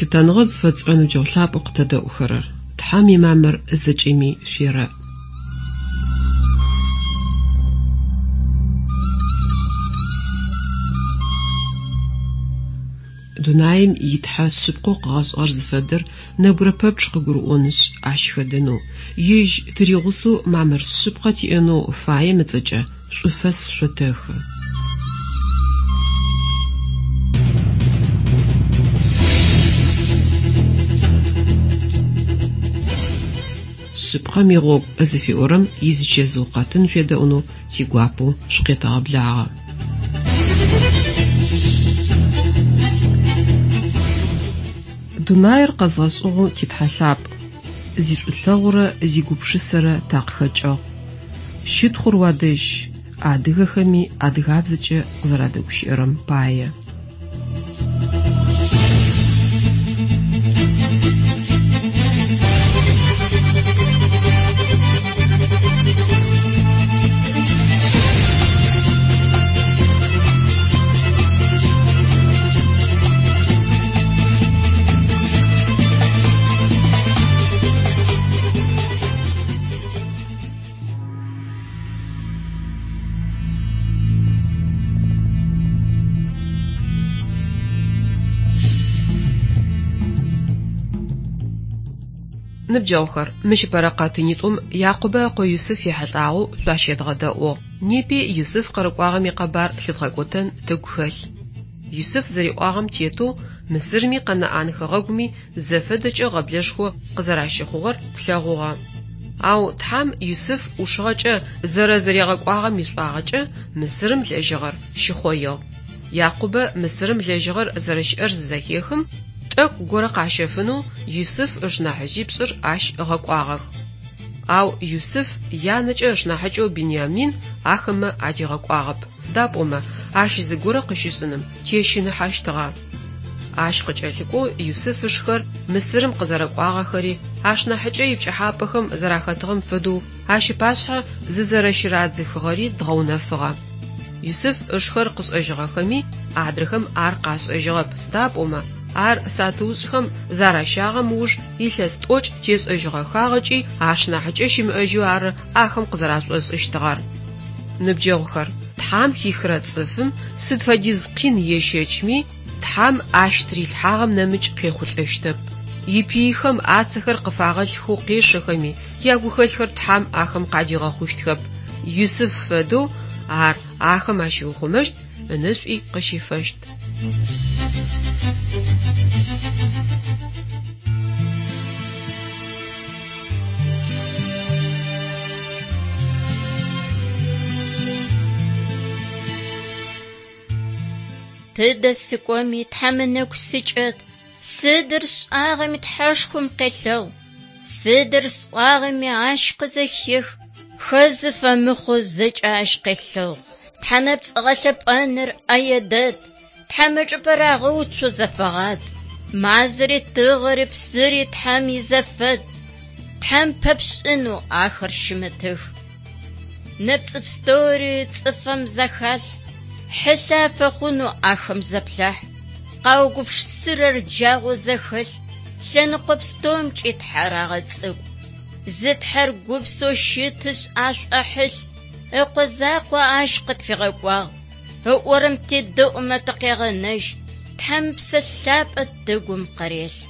Лъытэныгъэ зыфэтшӏырэ ныбджэгъу лъапӏэу къытэдэӏухэрэр! Тхьэм имамыр зэкӏэми шъуерэӏ. Дунаим и Тхьэ шъыпкъэу къыгъэшӏыгъэр зыфэдэр нэбгырэ пэпчъ къыгурыӏонышъ, ащ хэдэнэу, Ежь тыригъусэу мамыр шъыпкъэ тиӏэнэу фаем ыцӏэкӏэ шӏуфэс шъотэхы. Шъыпкъэм игъогу зыфиӏорэм изычэзыу къэтын шъуедэӏунэу тигуапэу шъукъетэгъэблагъэ. Дунаир къэзгъэшӏыгъэу ти Тхьэ лъапӏ, зишӏулъэгъурэ зигупшысэрэ такъыхэкӏыгъ. Щытхъур уадэжь, адыгэхэми адыгабзэкӏэ къызэрадэгущыӏэрэм пае. Ныбджэгъухэр, мыщ ыпэрэ къэтынитӏум Якъубэ ыкъо Юсыф ехьылӏагъэу шъуащедгъэдэӏугъ. Непи Юсыф къырыкӏуагъэм икъэбар лъыдгъэкӏотэн тыгу хэлъ. Юсыф зэриӏуагъэм тетэу Мысырми Къэнаӏан хэгъэгуми зэфэдэкӏэ гъэблэшхо къызэращыхъугъэр тлъэгъугъэ. Ау Тхьэм Юсыф ӏушыгъэкӏэ зэрэзэригъэкӏуагъэм ишӏуагъэкӏэ Мысырым лэжьыгъэр щыхъоигъ. Якъубэ Мысырым лэжьыгъэр зэрэщыӏэр зызэхехым, тӏэкӏу горэ къащэфынэу Юсыф ышнахьыжъипшӏыр ащ ыгъэкӏуагъэх. Ау Юсыф янэкӏэ ышнахьыкӏэу Биниамин ахэмэ адигъэкӏуагъэп, сыда пӏомэ ащ зыгорэ къыщышӏыным тещыныхьэщтыгъэ. Ащ къыкӏэлъыкӏоу Юсыф ышхэр Мысырым къызэрэкӏуагъэхэри, ашнахьыкӏэ ипкӏыхьапӏэхэм зэрахэтыгъэм фэдэу ащ ыпашъхьэ зызэрэщырадзыхыгъэри дгъэунэфыгъэ. Юсыф ышхэр къышӏэжьыгъэхэми, адрэхэм ар къашӏэжьыгъэп, сыда пӏомэ ар сатыушӏхэм заращагъэм ыуж илъэс тӏокӏ тешӏэжьыгъэхагъэкӏи ашнахьыкӏэ щымыӏэжьэу ары ахэм къызэрашӏошӏыщтыгъэр. Ныбджэгъухэр, Тхьэм хихырэ цӏыфым сыд фэдиз къин ещэчми, Тхьэм ащ тырилъхьагъэм нэмыкӏ къехъулӏэщтэп. Ипыйхэм ацэхэр къыфагъэлъхэу къешэхэми, ягухэлъхэр Тхьэм ахэм къадигъэхъущтхэп. Юсыф фэдэу ар ахэм ащиухъумэщт, ынэшӏуи къыщифэщт. Тыдэ сыкӏоми, Тхьэм ынэгу сыкӏэт, сыдыр сшӏагъэми Тхьэшхом къелъэгъу, сыдыр сӏуагъэми Ащ къызэхех, хэзы фэмыхъоу зэкӏэ Ащ къелъэгъу. Тхьэ нэпцӏ гъэлъэпӏэныр ӏэе дэд, Тхьэм ычӏыпӏэ рагъэуцоу зэфэгъад. Мазэри, тыгъэри, псыри Тхьэм изэфэд, Тхьэм пэпшӏынэу ахэр щымытых. Нэпцӏы пстэури цӏыфэм зэхалъхь, хьылъэ афэхъунэу ахэм зэплъахь. Къаугупшысырэр джагъоу зэхэлъ, лъэныкъо пстэумкӏи Тхьэр агъэцӏыкӏу. Зы Тхьэр гупсэу щытышъ ашӏохьылъ, Ыкъо закъо Ащ къытфигъэкӏуагъ. Ыӏорэм тедэӏумэ тыкъегъэнэжь, Тхьэм Псэ Лъапӏэ тыгум къырелъхь.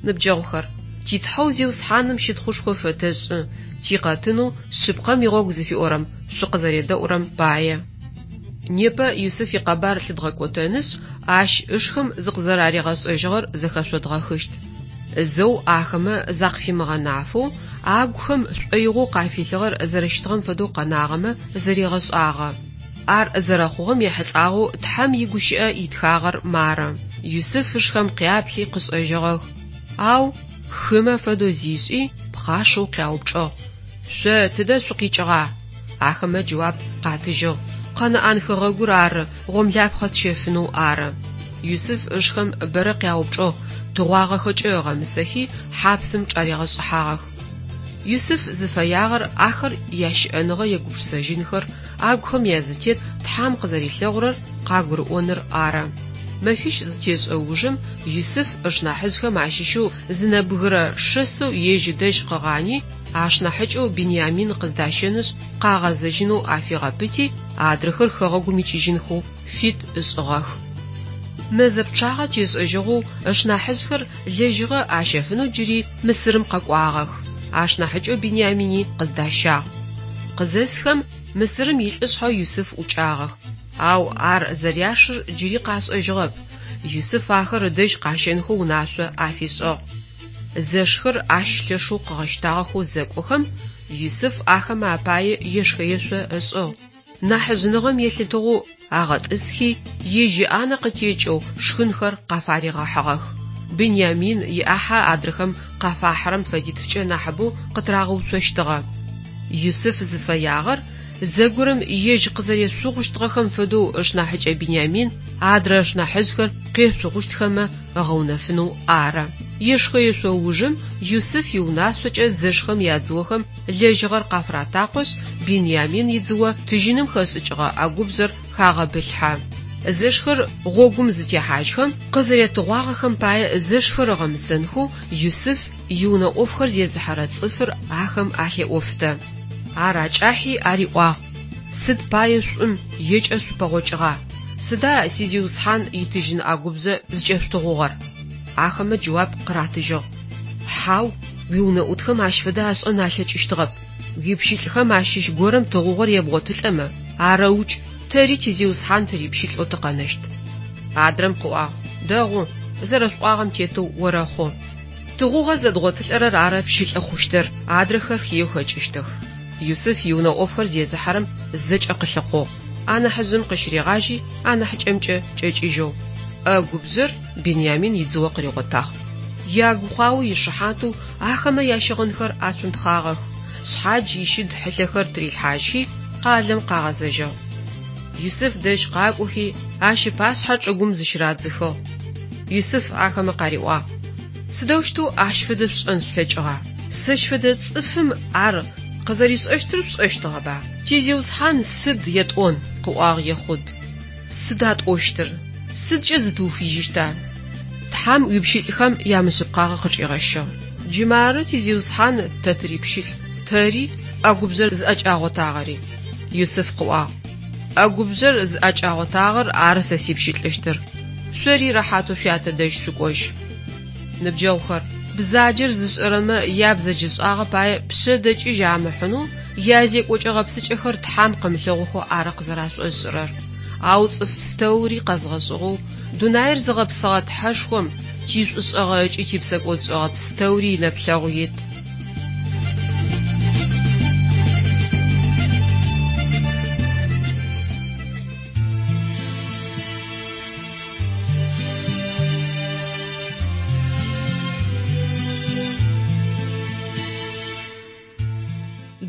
Ныбджэгъухэр, ти Тхьэу Зиусхьаным щытхъушхо фэтэшӏы, тикъэтынэу Шъыпкъэм игъогу зыфиӏорэм шъукъызэредэӏурэм пае. Непэ Юсыф икъэбар лъыдгъэкӏотэнышъ, ащ ышхэм зыкъызэраригъэшӏэжьыгъэр зэхэшъодгъэхыщт. Зэу ахэмэ закъыфимыгъэнафэу, агухэм шӏоигъоу къафилъыгъэр зэрэщытыгъэм фэдэу къэнагъэмэ зэригъэшӏагъэ. Ар зэрэхъугъэм ехьылӏагъэу Тхьэм игущыӏэ итхагъэр мары, Юсыф ышхэм къяплъи къышӏэжьыгъэх, ау хымэ фэдэу зишӏи, пхъашэу къяупчӏыгъ, Шъо тыдэ шъукъикӏыгъа? Ахэмэ джэуап къатыжьыгъ, Къэнаӏан хэгъэгур ары, гъомлапхъэ тщэфынэу ары. Юсыф ышхэм бэрэ къяупчӏыгъ, тыгъуагъэхэкӏэ ыгъэмысэхи, хьапсым чӏаригъэшӏыхьагъэх. Юсыф зыфэягъэр ахэр ящыӏэныгъэ егупшысэжьынхэр, агухэм язытет Тхьэм къызэрилъэгъурэр къагурыӏоныр ары. Мэфищ зытешӏэ ужым Юсыф ышнахьыжъхэм ащыщэу зы нэбгырэ шэсэу ежь ыдэжь къыгъани, ашнахьыкӏэу Биниамин къыздащэнышъ къагъэзэжьынэу афигъэпыти, адрэхэр хэгъэгум икӏыжьынхэу фит ышӏыгъэх. Мэзэ пчъагъэ тешӏэжьыгъэу ышнахьыжъхэр лэжьыгъэ ащэфынэу джыри Мысырым къэкӏуагъэх, ашнахьыкӏэу Биниамини къыздащагъ. Къызэсхэм Мысырым илӏышъхьэ Юсыф ӏукӏагъэх, ау ар зэряшыр джыри къашӏэжьыгъэп. Юсыф ахэр ыдэжь къащэнхэу унашъо афишӏыгъ. Зэшхэр ащ лъэшэу къыгъэщтагъэхэу зэкӏохэм, Юсыф ахэмэ апае ешхэ-ешъо ышӏыгъ. Нахьыжъыныгъэм елъытыгъэу агъэтӏысхи, ежь иӏанэ къытекӏэу шхынхэр къафаригъэхьыгъэх. Биниамин иӏахьэ адрэхэм къафахьырэм фэдитфкӏэ нахьыбэу къытырагъэуцощтыгъэ. Юсыф зыфэягъэр зэгорэм ежь къызэрешъугъущтыгъэхэм фэдэу ышнахьыкӏэ Биниамин адрэ ышнахьыжъхэр къешъугъущтхэмэ ыгъэунэфынэу ары. Ешхэ-ешъо ужым Юсыф иунашъокӏэ зэшхэм ядзыохэм лэжьыгъэр къафыратакъошъ, Биниамин идзыо тыжьыным хэшӏыкӏыгъэ ӏэгубжъэр хагъэбылъхьэ. Зэшхэр гъогум зытехьажьхэм, къызэретыгъуагъэхэм пае зэшхэр ыгъэмысэнхэу Юсыф иунэ ӏофхэр зезыхьэрэ цӏыфыр ахэм алъеӏофтэ. Ар акӏахьи ариӏуагъ, Сыд пае шӏум екӏэ шъупэгъокӏыгъа? Сыда сизиусхьан итыжьын ӏэгубжъэ зыкӏэшъутыгъугъэр? Ахэмэ джэуап къыратыжьыгъ, Хьау, уиунэӏутхэм ащ фэдэ ашӏэн алъэкӏыщтыгъэп. Уипщылӏхэм ащыщ горэм тыгъугъэр ебгъотылӏэмэ, арэукӏ, тэри тизиусхьан тырипщылӏэу тыкъэнэщт. Адрэм къыӏуагъ, Дэгъу, зэрэшъуӏуагъэм тетэу орэхъу. Тыгъугъэ зэдгъотылӏэрэр ары пщылӏы хъущтыр, адрэхэр хыеу хэкӏыщтых. Юсыф иунэ ӏофхэр зезыхьэрэм зэкӏэ къылъыхъугъ, анахьыжъым къыщыригъажьи анахьыкӏэмкӏэ кӏэкӏыжьэу. ӏэгубжъэр Биниамин идзыо къыригъотагъ. Ягукъао ишыхьатэу ахэмэ ящыгъынхэр ацунтхъагъэх, шъхьадж ищыд хьылъэхэр тырилъхьажьхи, къалэм къагъэзэжьыгъ. Юсыф дэжь къакӏохи, ащ ыпашъхьэ чӏыгум зыщырадзыхыгъ. Юсыф ахэмэ къариӏуагъ, Сыдэущтэу ащ фэдэ шъушӏэн шъулъэкӏыгъа? Сэщ фэдэ цӏыфым ар къызэришӏэщтыр шъушӏэщтыгъэба? Тизиусхьан сыд етӏон? къыӏуагъ Ехъуд. Сыда тӏощтыр? Сыдкӏэ зытыухыжьыщта? Тхьэм уипщылӏхэм ямышъыпкъагъэ къычӏигъэщыгъ. Джы мары тизиусхьан тэ тырипщылӏ, тэри, ӏэгубжъэр зыӏэкӏагъотагъэри. Юсыф къыӏуагъ, ӏэгубжъэр зыӏэкӏагъотагъэр ары сэ сипщылӏыщтыр. Шъори рэхьатэу шъуятэ дэжь шъукӏожь. Ныбджэгъухэр, бзаджэр зышӏэрэмэ ябзэджэшӏагъэ пае пшъэдэкӏыжь амыхьынэу язекӏокӏэ-гъэпсыкӏэхэр Тхьэм къымылъэгъухэу ары къызэрашӏошӏырэр. Ау цӏыф пстэури къэзгъэшӏыгъэу, дунаир зыгъэпсыгъэ Тхьэшхом тишӏушӏэгъэ ыкӏи типсэкӏодшӏэгъэ пстэури инэплъэгъу ит.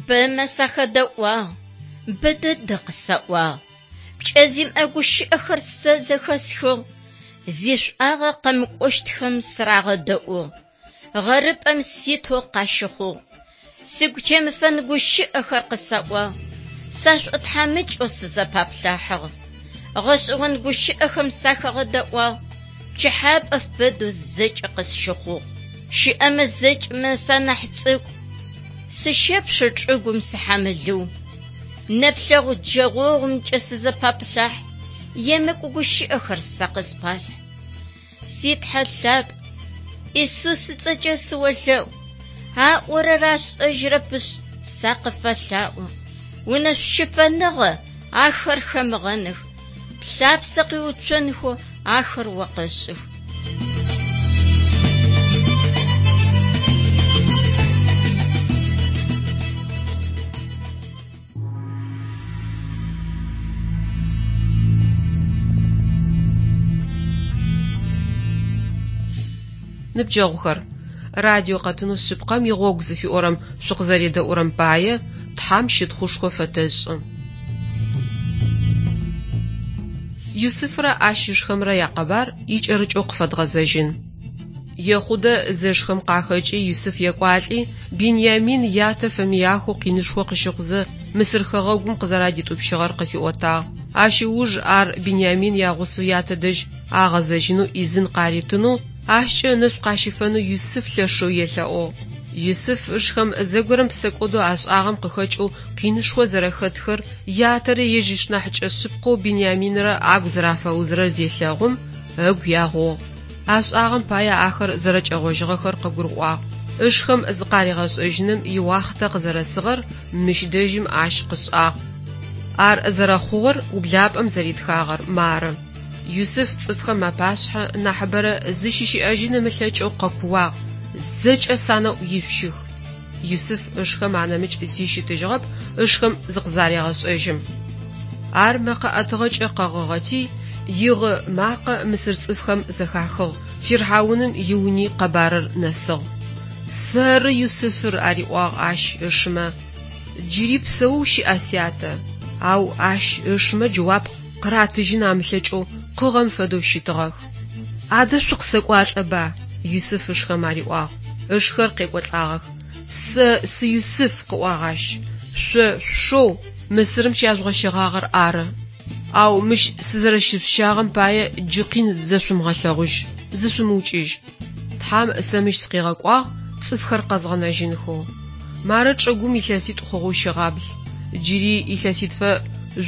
Бэмэ сахэдэӏуагъ, бэ дэдэ къысаӏуагъ. Пкӏэ зимыӏэ гущыӏэхэр сэ зэхэсхыгъ, зишӏуагъэ къэмыкӏощтхэм сырагъэдэӏугъ. Гъэрыпӏэм ситэу къащыхъугъ. Сыгу темыфэн гущыӏэхэр къысаӏуагъ, сашӏотхьамыкӏэу сызэпаплъахьыгъ. Гъэшӏэгъон гущыӏэхэм сахагъэдэӏуагъ, пкӏыхьапӏэ фэдэу зэкӏэ къысщыхъугъ. Щыӏэмэ зэкӏэмэ санахь цӏыкӏу, сыщэпшэ чӏыгум сыхьамылыу. Нэплъэгъу джэгъогъумкӏэ сызэпаплъахь, емыкӏу гущыӏэхэр сэ къыспалъхь. Си Тхьэ лъапӏ, Исус ыцӏэкӏэ сыолъэӏу, аӏорэр ашӏэжьырэпышъ, сакъыфэлъаӏо. Унэшъу щыфэныгъэ ахэр хэмыгъэных, плъапсэ къиуцонхэу ахэр о къэшӏых. Ныбджэгъухэр, радио къэтынэу Шъыпкъэм игъогу зыфиӏорэм шъукъызэредэӏурэм пае Тхьэм щытхъушхо фэтэшӏы. Юсыфрэ ащ ышхэмрэ якъэбар икӏэрыкӏэу къыфэдгъэзэжьын. Ехъудэ зэшхэм къахэкӏи Юсыф екӏуалӏи, Биньямин ятэ фэмыяхэу къинышхо къыщыхъузэ Мысыр хэгъэгум къызэрадитӏупщыгъэр къыфиӏотагъ. Ащ ыуж ар Биньямин ягъусэу ятэ дэжь агъэзэжьынэу ӏизын къаритынэу, ащкӏэ ынэшӏу къащыфэнэу Юсыф лъэшэу елъэӏугъ. Юсыф ышхэм зэгорэм псэкӏодэу ашӏагъэм къыхэкӏэу къинышхо зэрэхэтхэр, ятэрэ ежь ышнахьыкӏэ шъыпкъэу Биньяминрэ агу зэрафэузырэр зелъэгъум, ыгу ягъугъ. Ашӏагъэм пае ахэр зэрэкӏэгъожьыгъэхэр къыгурыӏуагъ. Ышхэм зыкъаригъэшӏэжьыным иуахътэ къызэрэсыгъэр мыщ дэжьым ащ къышӏагъ. Ар зэрэхъугъэр ублапӏэм зэритхагъэр мары. Юсыф цӏыфхэм апашъхьэ нахьыбэрэ зыщыщыӏэжьын ымылъэкӏэу къэкууагъ, Зэкӏэ санэӏу ишъущых! Юсыф ышхэм анэмыкӏ зи щытыжьыгъэп ышхэм зыкъызарегъэшӏэжьым. Ар мэкъэ ӏэтыгъэкӏэ къэгъыгъэти, игъы макъэ мысыр цӏыфхэм зэхахыгъ, фирхьауным иуни къэбарыр нэсыгъ. Сэры Юсыфыр, ариӏуагъ ащ ышымэ. Джыри псэоу щыӏа сятэ? Ау ащ ышымэ джэуап къыратыжьын амылъэкӏэу къыгъэм фэдэу щытыгъэх. Адэ шъукъысэкӏуалӏэба? Юсыф ышхэм ариӏуагъ. Ышхэр къекӏолӏагъэх. Сэ сы Юсыф, къыӏуагъ ащ, шъо шъушэу Мысырым щяжъугъэщэгъагъэр ары. Ау мыщ сызэрэщышъущагъэм пае джы къин зэшъумыгъэлъэгъужь, зышъумыукӏыжь. Тхьэм сэ мыщ сыкъигъэкӏуагъ цӏыфхэр къэзгъэнэжьынхэу. Мары чӏыгум илъэситӏу хъугъэу щыгъабл. Джыри илъэситфэ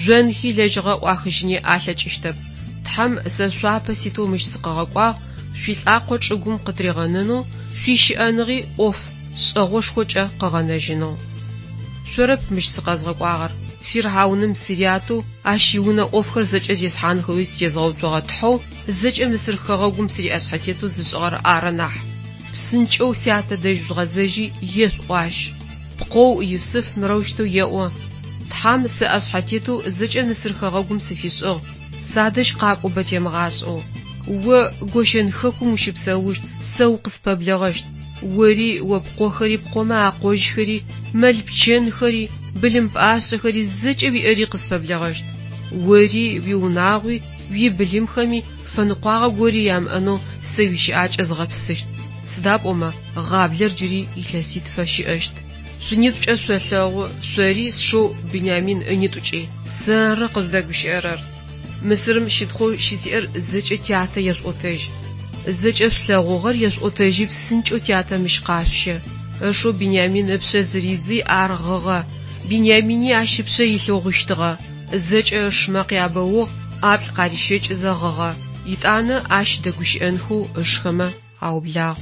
жъонхи лэжьыгъэ ӏуахыжьыни алъэкӏыщтэп. Тхьэм сэ шъуапэ ситэу мыщ сыкъыгъэкӏуагъ, шъуилӏакъо чӏыгум къытыригъэнэнэу, шъуищыӏэныгъи ӏоф шӏэгъошхокӏэ къыгъэнэжьынэу. Шъорэп мыщ сыкъэзгъэкӏуагъэр, фирхьауным сырятэу, ащ иунэ ӏофхэр зэкӏэ зесхьанхэуи сытезгъэуцогъэ Тхьэу зэкӏэ Мысыр хэгъэгум сыриӏэшъхьэтетэу зышӏыгъэр ары нахь. Псынкӏэу сятэ дэжь жъугъэзэжьи, ешъуӏу ащ. Пкъоу Юсыф мырэущтэу еӏо, Тхьэм сэ ӏэшъхьэтетэу зэкӏэ Мысыр хэгъэгум сыфишӏыгъ, садэжь къакӏо бэ темыгъашӏэу. О Гощэн хэкум ущыпсэущт, сэ укъыспэблэгъэщт. Ори, о пкъохэри, пкъомэ акъожьхэри, мэл-пчэнхэри, былым пӏашъэхэри, зэкӏэ уиӏэри къыспэблэгъэщт. Ори, уиунагъуи, уибылымхэми фэныкъуагъэ гори ямыӏэнэу сэ уищыӏакӏэ згъэпсыщт, сыда пӏомэ гъаблэр джыри илъэситфэ щыӏэщт. Шъунитӏукӏэ шъолъэгъу, шъори сшэу Бинямин ынитӏукӏи. Сэры къыжъудэгущыӏэрэр. Мысырым щытхъоу щысиӏэр зэкӏэ тятэ ешъуӏотэжь. Зэкӏэ шъулъэгъугъэр ешъуӏотэжьи псынкӏэу тятэ мыщ къашъущэ. Ышэу Бинямин ыпшъэ зыридзи ар гъыгъэ. Бинямини ащ ыпшъэ илъэу гъыщтыгъэ. Зэкӏэ ышмэ къябэугъ, ӏаплӏ къарищэкӏызэ гъыгъэ. Етӏанэ ащ дэгущыӏэнхэу ышхэмэ аублагъ.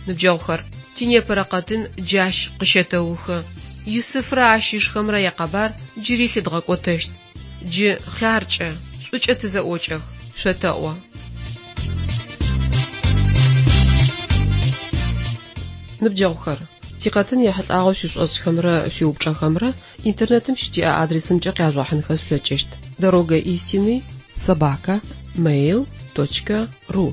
Ныбджэгъухэр, тинепэрэ къэтын джащ къыщэтэухы. Юсыфрэ ащ ышхэмрэ якъэбар джыри лъыдгъэкӏотэщт. Джы хъяркӏэ, шӏукӏэ тызэӏокӏэх, шъотэӏо. Ныбджэгъухэр, тикъэтын ехьылӏагъэу шъуишӏошӏхэмрэ шъуиупчӏэхэмрэ Интернетым щытиӏэ адресымкӏэ къяжъугъэхьынхэ шъулъэкӏыщт: Дорога истины собака mail точка ру.